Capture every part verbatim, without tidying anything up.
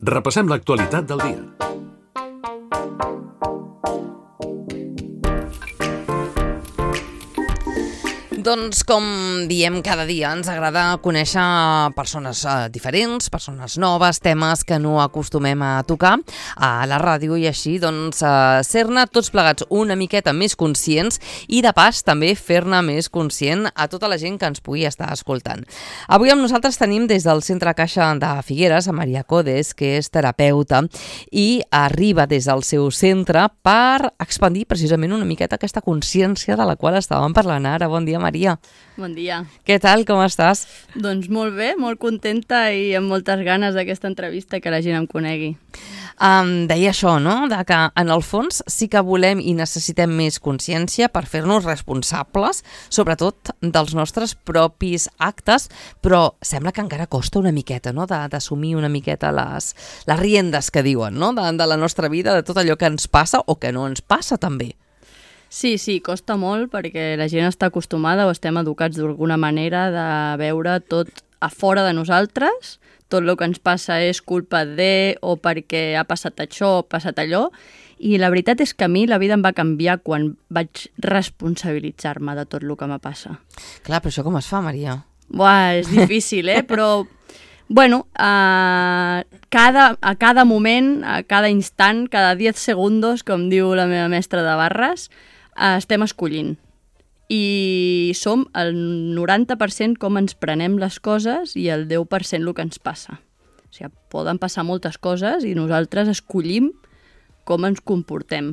Repassem l'actualitat del dia. Doncs, com diem cada dia, ens agrada conèixer persones eh, diferents, persones noves, temes que no acostumem a tocar a la ràdio i així doncs, eh, ser-ne tots plegats una miqueta més conscients i, de pas, també fer-ne més conscient a tota la gent que ens pugui estar escoltant. Avui amb nosaltres tenim des del Centre Caixa de Figueres a Maria Codes, que és terapeuta i arriba des del seu centre per expandir precisament una miqueta aquesta consciència de la qual estàvem parlant ara. Bon dia, Maria. Maria. Bon dia. Què tal, com estàs? Doncs molt bé, molt contenta i amb moltes ganes d'aquesta entrevista, que la gent em conegui. Um, deia això, no?, de que en el fons sí que volem i necessitem més consciència per fer-nos responsables, sobretot dels nostres propis actes, però sembla que encara costa una miqueta, no?, d'assumir una miqueta les, les riendes que diuen, no?, de, de la nostra vida, de tot allò que ens passa o que no ens passa també. Sí, sí, costa molt perquè la gent està acostumada o estem educats d'alguna manera de veure tot a fora de nosaltres, tot el que ens passa és culpa de o perquè ha passat això o ha passat allò, i la veritat és que a mi la vida em va canviar quan vaig responsabilitzar-me de tot el que me passa. Clar, però això com es fa, Maria? Buah, és difícil, eh? Però, bueno, a cada, a cada moment, a cada instant, cada diez segundos, com diu la meva mestra de barres, estem escollint. I som el noranta per cent com ens prenem les coses i el deu per cent el que ens passa. O sigui, poden passar moltes coses i nosaltres escollim com ens comportem.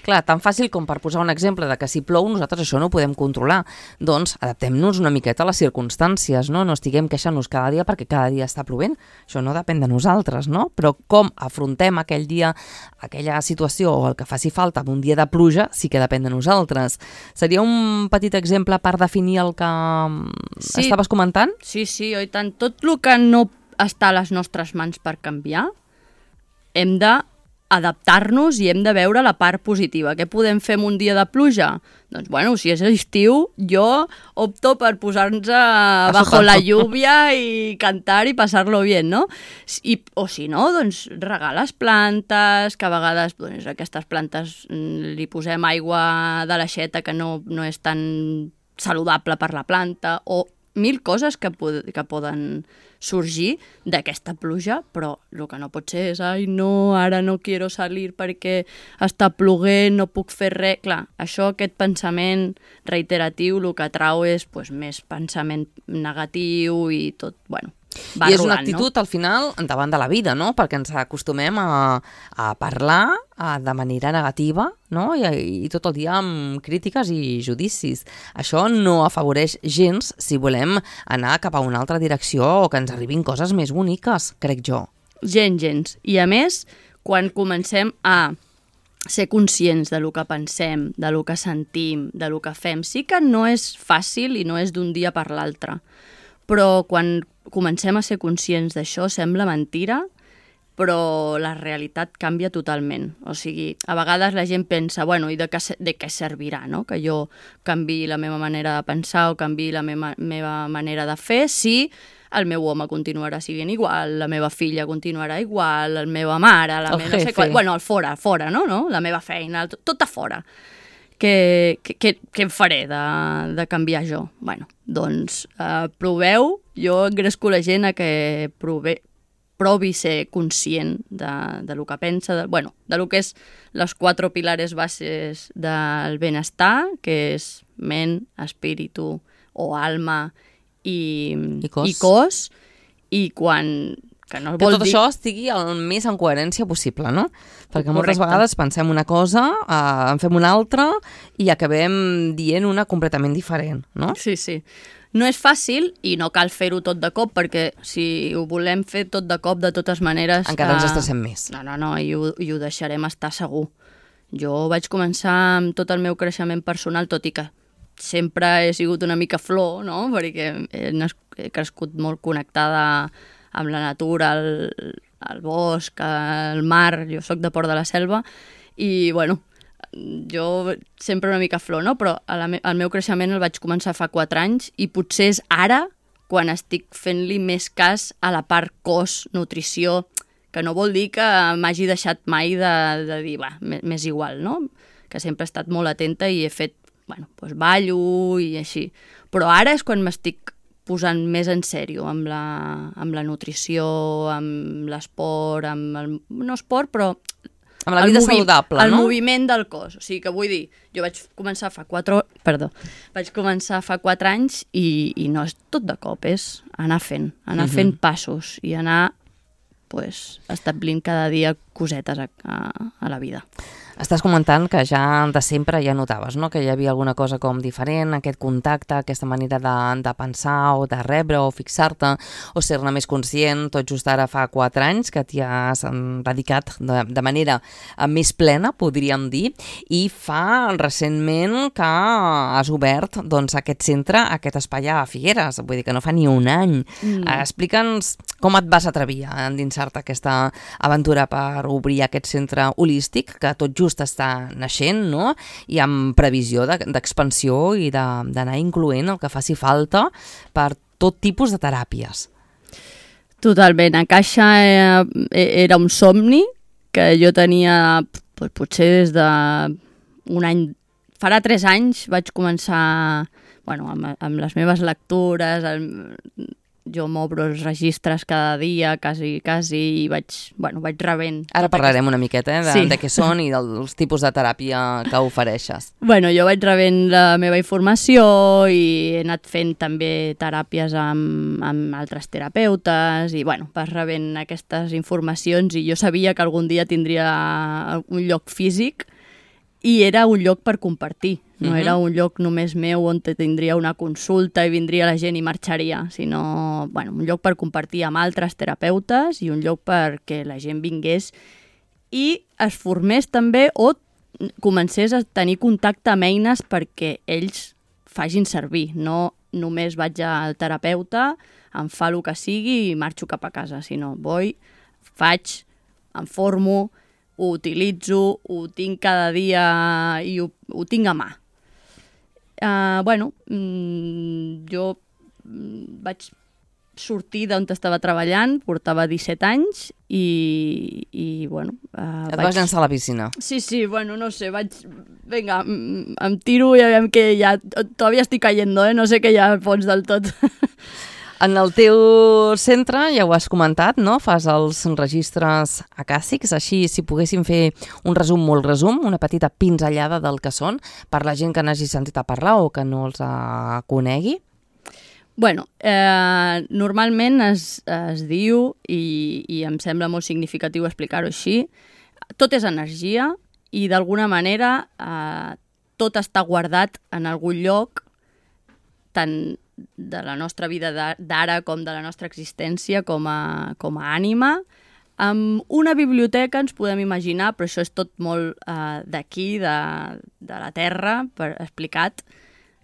Clar, tan fàcil com per posar un exemple de que si plou nosaltres això no ho podem controlar. Doncs adaptem-nos una miqueta a les circumstàncies, no? No estiguem queixant-nos cada dia perquè cada dia està plovent. Això no depèn de nosaltres, no? Però com afrontem aquell dia, aquella situació o el que faci falta en un dia de pluja sí que depèn de nosaltres. Seria un petit exemple per definir el que sí, estaves comentant? Sí, sí, oi tant. Tot el que no està a les nostres mans per canviar, hem de adaptar-nos i hem de veure la part positiva. Què podem fer en un dia de pluja? Doncs, bueno, si és estiu, jo opto per posar-nos bajo la lluvia i cantar i passar-lo bien, no? I, o si no, doncs regar les plantes, que a vegades doncs, aquestes plantes li posem aigua de l'aixeta que no, no és tan saludable per la planta, o mil coses que, pod que poden sorgir d'aquesta pluja, però el que no pot ser és ai, no, ara no quiero salir perquè està ploguent, no puc fer res. Clar, això, aquest pensament reiteratiu, el que trau és pues, més pensament negatiu i tot, bueno, va I és rodant, una actitud, no? al final, davant de la vida, no? Perquè ens acostumem a, a parlar a, de manera negativa, no? I, I tot el dia amb crítiques i judicis. Això no afavoreix gens si volem anar cap a una altra direcció o que ens arribin coses més boniques, crec jo. Gens, gens. I a més, quan comencem a ser conscients de lo que pensem, de lo que sentim, de lo que fem, sí que no és fàcil i no és d'un dia per l'altre. Però quan comencem a ser conscients d'això sembla mentira, però la realitat canvia totalment. O sigui, a vegades la gent pensa, bueno, i de què, de què servirà, no? Que jo canviï la meva manera de pensar o canviï la meva, meva manera de fer si el meu home continuarà sent igual, la meva filla continuarà igual, la meva mare, la meva... No sé qual, bueno, el fora, fora, no? no? La meva feina, tot, tot a fora. Què, què, què em faré de, de canviar jo? Bueno, doncs eh, proveu, jo engresco la gent a que prove, provi ser conscient de, de lo que pensa, de, bueno, de lo que és les quatre pilares bases del benestar, que és ment, espíritu o alma i, I cos. I, cos, i quan... Que, no que vol tot dir... això estigui el més en coherència possible, no? Perquè moltes Correcte. vegades pensem una cosa, eh, en fem una altra i acabem dient una completament diferent, no? Sí, sí. No és fàcil i no cal fer-ho tot de cop, perquè si ho volem fer tot de cop, de totes maneres... Encara ens eh... estressem més. No, no, no, i ho, i ho deixarem estar segur. Jo vaig començar amb tot el meu creixement personal, tot i que sempre he sigut una mica flor, no? Perquè he, he crescut molt connectada amb la natura, el, el bosc, el mar, jo sóc de Port de la Selva, i, bueno, jo sempre una mica flor, no? Però a la me el meu creixement el vaig començar fa quatre anys i potser és ara quan estic fent-li més cas a la part cos, nutrició, que no vol dir que m'hagi deixat mai de, de dir, va, m'és igual, no? Que sempre he estat molt atenta i he fet, bueno, doncs ballo i així. Però ara és quan m'estic posant més en sèrio amb la, amb la nutrició, amb l'esport, amb el... no esport, però... Amb la vida el saludable, el no? El moviment del cos. O sigui, que vull dir, jo vaig començar fa quatre... Perdó. Vaig començar fa quatre anys i, i no és tot de cop, és anar fent, anar uh-huh. fent passos i anar pues, establint cada dia cosetes a, a, a la vida. Estàs comentant que ja de sempre ja notaves, no?, que hi havia alguna cosa com diferent, aquest contacte, aquesta manera de, de pensar o de rebre o fixar-te o ser-ne més conscient, tot just ara fa quatre anys que t'hi has dedicat de, de manera més plena, podríem dir, i fa recentment que has obert doncs, aquest centre, aquest espai a Figueres, vull dir que no fa ni un any. Mm. Explica'ns com et vas atrevir a endinsar-te aquesta aventura per obrir aquest centre holístic que tot just està naixent, no?, i amb previsió d'expansió i d'anar incloent el que faci falta per tot tipus de teràpies. Totalment. A Caixa era un somni que jo tenia doncs, potser des de un any, farà tres anys vaig començar bueno, amb, amb les meves lectures, el, jo m'obro els registres cada dia, quasi, quasi, i vaig, bueno, vaig rebent... Ara parlarem una miqueta eh, de, sí. de què són i dels tipus de teràpia que ofereixes. Bueno, jo vaig rebent la meva informació i he anat fent també teràpies amb, amb altres terapeutes i, bueno, vas rebent aquestes informacions i jo sabia que algun dia tindria un lloc físic i era un lloc per compartir. No uh-huh. era un lloc només meu on tindria una consulta i vindria la gent i marxaria, sinó bueno, un lloc per compartir amb altres terapeutes i un lloc perquè la gent vingués i es formés també o comencés a tenir contacte amb eines perquè ells facin servir. No només vaig al terapeuta, em fa el que sigui i marxo cap a casa, sinó vull, faig, em formo, ho utilitzo, ho tinc cada dia i ho, ho tinc a mà. Uh, bueno, mm, jo mm, vaig sortir d'on estava treballant, portava disset anys i, i bueno... Uh, Et vaig... vas llançar a la piscina? Sí, sí, bueno, no sé, vaig... Vinga, em tiro i aviam que ja... Todavía estoy cayendo, eh? No sé què hi ha al fons del tot. En el teu centre, ja ho has comentat, no? Fas els registres acàssics, així si poguéssim fer un resum molt resum, una petita pinzellada del que són, per la gent que n'hagi sentit a parlar o que no els uh, conegui. Bueno, eh, normalment es, es diu, i, i em sembla molt significatiu explicar-ho així, tot és energia i d'alguna manera eh, tot està guardat en algun lloc, tant de la nostra vida d'ara com de la nostra existència com a, com a ànima. Amb una biblioteca ens podem imaginar, però això és tot molt eh, d'aquí, de, de la Terra, per, explicat,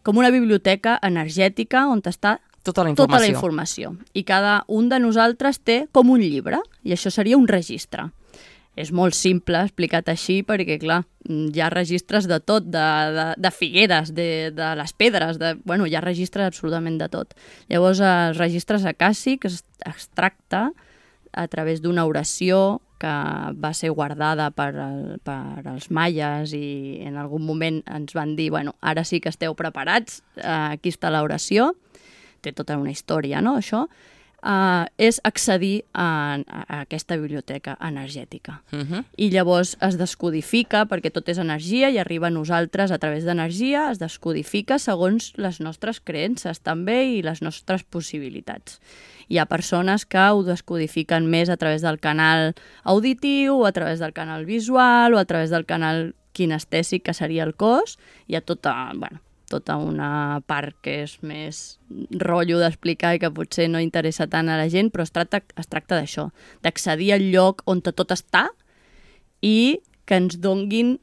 com una biblioteca energètica on està tota la informació. Tota la informació. I cada un de nosaltres té com un llibre, i això seria un registre. És molt simple explicat així perquè, clar, hi ha registres de tot, de, de, de figueres, de, de les pedres, de, bueno, hi ha registres absolutament de tot. Llavors, els registres acàssics es, es tracta a través d'una oració que va ser guardada per, el, per els maies i en algun moment ens van dir, bueno, ara sí que esteu preparats, eh, aquí està l'oració, té tota una història, no?, això. Uh, és accedir a, a aquesta biblioteca energètica. Uh-huh. I llavors es descodifica, perquè tot és energia i arriba a nosaltres a través d'energia, es descodifica segons les nostres creences també i les nostres possibilitats. Hi ha persones que ho descodifiquen més a través del canal auditiu, o a través del canal visual, o a través del canal kinestèsic, que seria el cos. Hi ha tota... bueno, tota una part que és més rotllo d'explicar i que potser no interessa tant a la gent, però es tracta, es tracta d'això, d'accedir al lloc on tot està i que ens donguin,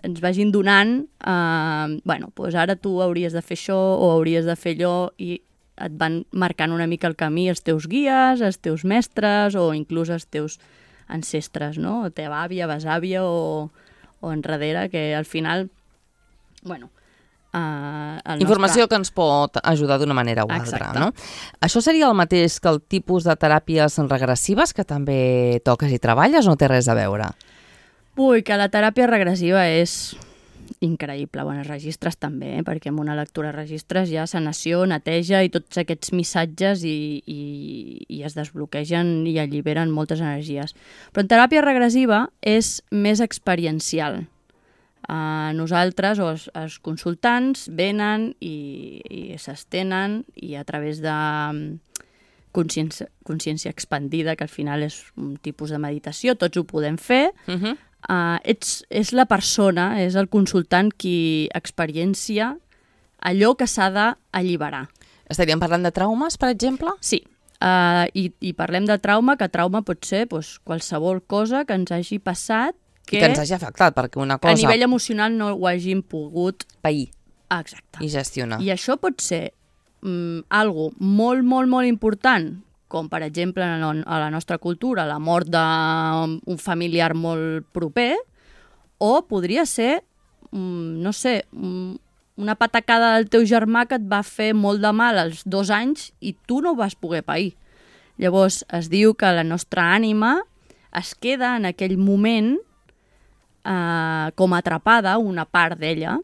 ens vagin donant, eh, bueno, doncs ara tu hauries de fer això o hauries de fer allò i et van marcant una mica el camí els teus guies, els teus mestres o inclús els teus ancestres, no? O teva àvia, besàvia o, o enrere, que al final, bueno, Uh, el Informació nostre... que ens pot ajudar d'una manera o altra, Exacte. no? Això seria el mateix que el tipus de teràpies regressives que també toques i treballes o no té res a veure? Ui, que la teràpia regressiva és increïble. Bueno, els registres també, eh? Perquè amb una lectura de registres hi ha sanació, neteja i tots aquests missatges i, i, i es desbloquegen i alliberen moltes energies. Però en teràpia regressiva és més experiencial. Uh, nosaltres, o els, els consultants, venen i, i s'estenen i a través de consciència, consciència expandida, que al final és un tipus de meditació, tots ho podem fer, Uh -huh. uh, ets, és la persona, és el consultant qui experiencia allò que s'ha d'alliberar. Estaríem parlant de traumes, per exemple? Sí, uh, i, i parlem de trauma, que trauma pot ser doncs, qualsevol cosa que ens hagi passat Que, que ens hagi afectat, perquè una cosa... a nivell emocional no ho hàgim pogut... pair Exacte. i gestionar. I això pot ser mm, algo molt, molt, molt important, com per exemple a la nostra cultura, la mort d'un familiar molt proper, o podria ser, mm, no sé, mm, una patacada del teu germà que et va fer molt de mal als dos anys i tu no ho vas poder pair. Llavors es diu que la nostra ànima es queda en aquell moment Uh, com atrapada, una part d'ella.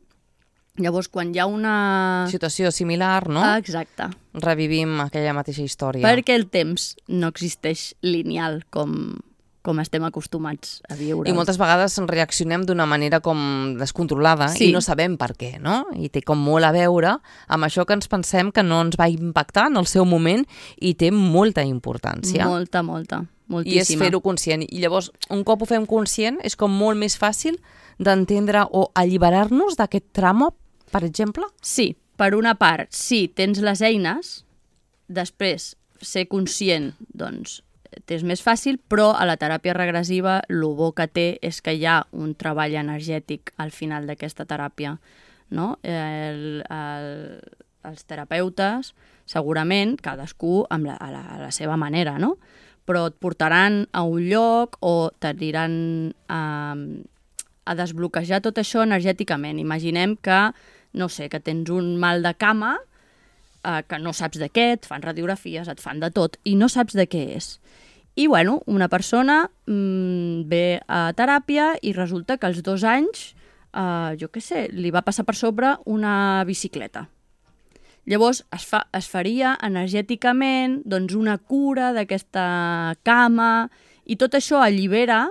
Llavors, quan hi ha una... Situació similar, no? Ah, exacte. Revivim aquella mateixa història. Perquè el temps no existeix lineal com, com estem acostumats a viure. I moltes vegades reaccionem d'una manera com descontrolada Sí. i no sabem per què, no? I té com molt a veure amb això que ens pensem que no ens va impactar en el seu moment i té molta importància. Molta, molta. I és Moltíssima. fer-ho conscient. I llavors, un cop ho fem conscient, és com molt més fàcil d'entendre o alliberar-nos d'aquest trauma, per exemple? Sí, per una part, sí, tens les eines, després, ser conscient, doncs, t'és més fàcil, però a la teràpia regressiva el bo que té és que hi ha un treball energètic al final d'aquesta teràpia, no? El, el, els terapeutes, segurament, cadascú amb la, a, la, a la seva manera, no? Però et portaran a un lloc o t'aniran a, a desbloquejar tot això energèticament. Imaginem que, no sé, que tens un mal de cama, eh, que no saps de què, et fan radiografies, et fan de tot, i no saps de què és. I, bueno, una persona mmm, ve a teràpia i resulta que als dos anys, eh, jo què sé, li va passar per sobre una bicicleta. Llavors es, fa, es faria energèticament doncs, una cura d'aquesta cama i tot això allibera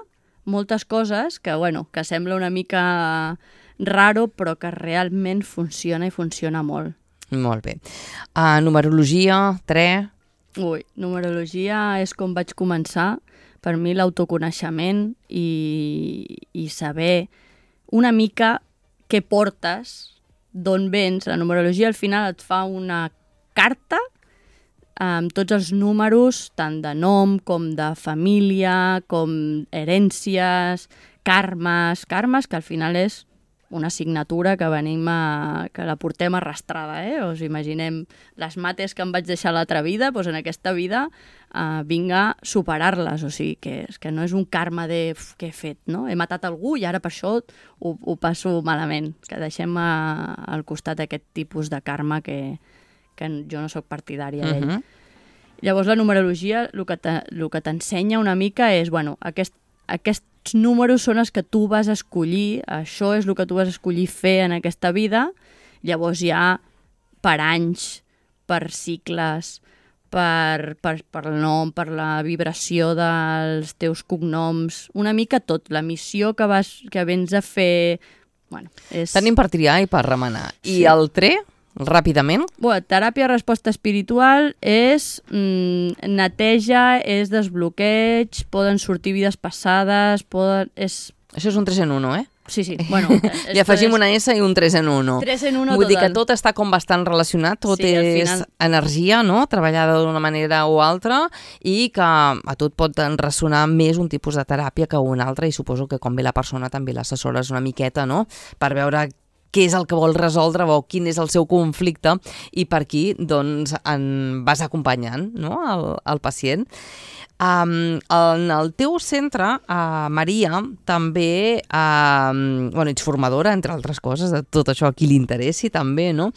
moltes coses que, bueno, que sembla una mica raro però que realment funciona i funciona molt. Molt bé. Uh, numerologia, tre... Ui, numerologia és com vaig començar. Per mi l'autoconeixement i, i saber una mica què portes, d'on vens. La numerologia al final et fa una carta amb tots els números, tant de nom com de família, com herències, karmes, karmes que al final és una assignatura que venim a, que la portem arrastrada, eh? Us imaginem les mates que em vaig deixar l'altra vida, doncs en aquesta vida eh, vinc a superar-les, o sigui, que, que no és un karma de uf, què he fet, no? He matat algú i ara per això ho, ho passo malament, que deixem a, al costat aquest tipus de karma que, que jo no sóc partidària d'ell. Uh-huh. Llavors la numerologia el que, te, el que t'ensenya una mica és, bueno, aquest, aquests números són els que tu vas escollir, això és el que tu vas escollir fer en aquesta vida, llavors hi ha per anys, per cicles, per, per, per el nom, per la vibració dels teus cognoms, una mica tot, la missió que, vas, que vens a fer... Bueno, és... Tenim per triar i per remenar. I Sí. el tre, ràpidament? Bueno, teràpia resposta espiritual és mm, neteja, és desbloqueig, poden sortir vides passades, poden... És... Això és un tres en uno, eh? Sí, sí, bueno... Li afegim una S i un tres en uno. tres en uno Vull dir que total. tot està com bastant relacionat, tot Sí, al és final- energia, no?, treballada d'una manera o altra, i que a tu et pot ressonar més un tipus de teràpia que una altra, i suposo que com ve la persona també l'assessores una miqueta, no?, per veure què és el que vol resoldre o quin és el seu conflicte i per aquí doncs, en vas acompanyant, no?, el, el pacient. Um, en el teu centre, uh, Maria, també uh, bueno, ets formadora, entre altres coses, de tot això a qui li interessi també, no?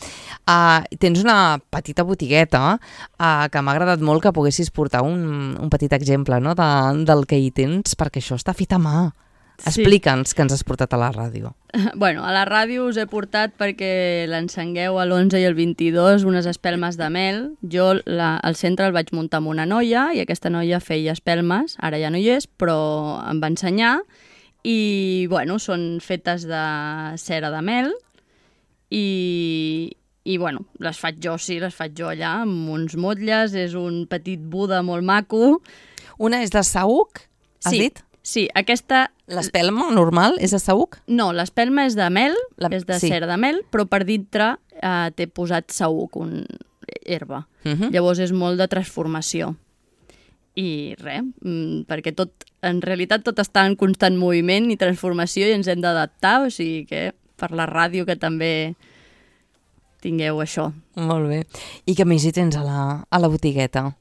Uh, tens una petita botigueta uh, que m'ha agradat molt que poguessis portar un, un petit exemple, no?, de, del que hi tens, perquè això està fet a mà. Sí. Explica'ns què ens has portat a la ràdio. Bueno, a la ràdio us he portat perquè l'encengueu a l'onze i el vint-i-dos unes espelmes de mel. Jo la, al centre el vaig muntar amb una noia i aquesta noia feia espelmes, ara ja no hi és, però em va ensenyar i, bueno, són fetes de cera de mel i, i bueno, les faig jo, sí, les faig jo allà amb uns motlles, és un petit Buda molt maco. Una és de saüc, has sí, dit? Sí, aquesta... L'espelma normal és de saüc? No, l'espelma és de mel, La... és de sí. cera de mel, però per dintre eh, t'he posat saüc, un herba. Uh -huh. Llavors és molt de transformació. I res, perquè tot, en realitat tot està en constant moviment i transformació i ens hem d'adaptar, o sigui que per la ràdio que també tingueu això. Molt bé. I què més hi tens a la, a la botigueta?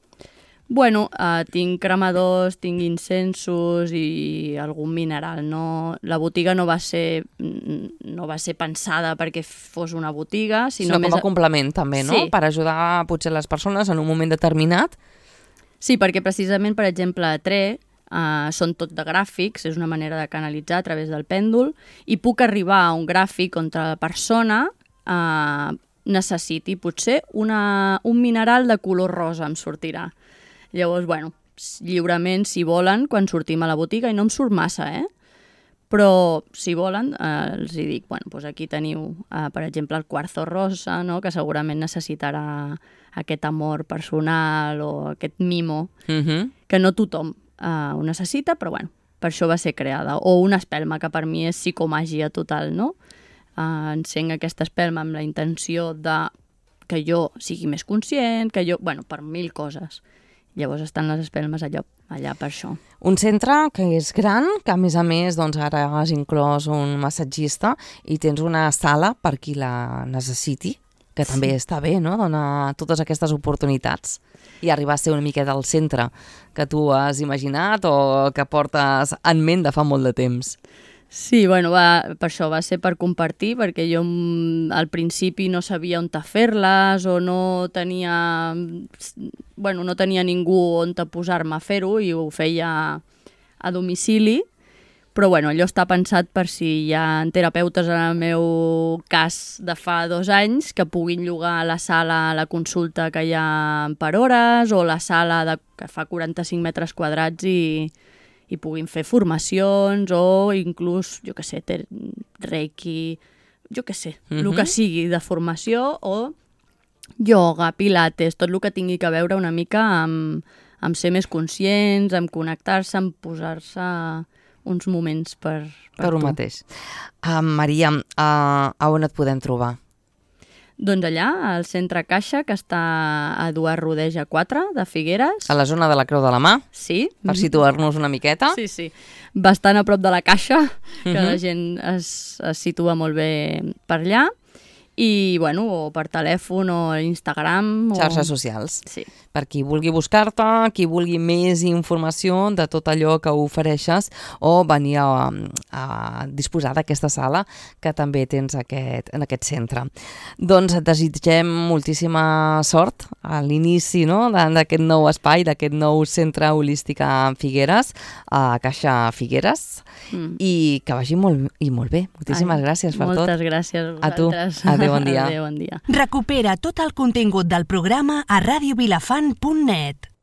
Bueno, uh, tinc cremadors, tinc incensos i algun mineral. No, la botiga no va ser no va ser pensada perquè fos una botiga, sinó, sinó com més... a complement també, no? Sí. Per ajudar potser les persones en un moment determinat. Sí, perquè precisament, per exemple, a Tre uh, són tot de gràfics, és una manera de canalitzar a través del pèndol, i puc arribar a un gràfic on la persona uh, necessiti potser una, un mineral de color rosa, em sortirà. Llavors, bueno, lliurement, si volen, quan sortim a la botiga, i no em surt massa, eh? Però, si volen, eh, els hi dic, bueno, doncs aquí teniu, eh, per exemple, el quarzo rosa, no?, que segurament necessitarà aquest amor personal o aquest mimo, Uh-huh. que no tothom eh, ho necessita, però, bueno, per això va ser creada. O una espelma, que per mi és psicomàgia total, no? Eh, encenc aquesta espelma amb la intenció de que jo sigui més conscient, que jo... Bueno, per mil coses. Llavors estan les espelmes allà, allà per això. Un centre que és gran, que a més a més doncs, ara has inclòs un massatgista i tens una sala per qui la necessiti, que també sí. Està bé, no?, donar totes aquestes oportunitats i arribar a ser una miqueta al centre que tu has imaginat o que portes en ment de fa molt de temps. Sí, bueno, va, per això va ser per compartir, perquè jo al principi no sabia on fer-les o no tenia, bueno, no tenia ningú on posar-me a fer-ho i ho feia a domicili, però bueno, allò està pensat per si hi ha terapeutes en el meu cas de fa dos anys que puguin llogar la sala a la consulta que hi ha per hores o la sala de, que fa quaranta-cinc metres quadrats i i puguin fer formacions o inclús, jo què sé, ter, reiki, jo què sé, uh-huh. el que sigui de formació o ioga, pilates, tot el que tingui que veure una mica amb, amb ser més conscients, amb connectar-se, amb posar-se uns moments per, per, per tu. un mateix. Uh, Maria, uh, a on et podem trobar? Doncs allà, al centre Caixa, que està a Eduard Rodeja quatre, de Figueres. A la zona de la Creu de la Mà? Sí. Per situar-nos una miqueta? Sí, sí. Bastant a prop de la Caixa, que Uh-huh. la gent es, es situa molt bé per allà. I, bueno, o per telèfon o Instagram. O... Xarxes socials. Sí. Per qui vulgui buscar-te, qui vulgui més informació de tot allò que ofereixes o venir a, a disposar d'aquesta sala que també tens aquest, en aquest centre. Doncs et desitgem moltíssima sort a l'inici, no?, d'aquest nou espai, d'aquest nou centre holístic a Figueres, a Caixa Figueres, mm. i que vagi molt, i molt bé. Moltíssimes Ai, gràcies per moltes tot. Moltes gràcies a A vosaltres. tu. Adéu, bon dia. Adéu, bon dia. Recupera tot el contingut del programa a radio vilafant punt net.